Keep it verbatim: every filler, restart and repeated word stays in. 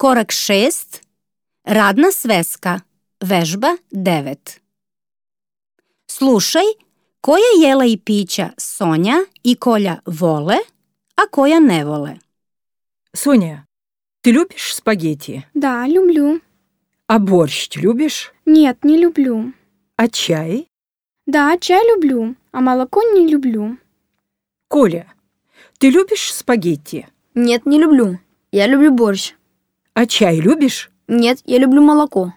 Korak šest. Radna sveska. Vežba devet. Slušaj koja jela i pića Sonja i Kolja vole, a koja ne vole. Соня, ты любишь спагетти? Да, люблю. А борщ любишь? Нет, не люблю. А чай? Да, чай люблю, а молоко не люблю. Коля, ты любишь спагетти? Нет, не люблю. Я люблю борщ. А чай любишь? Нет, я люблю молоко.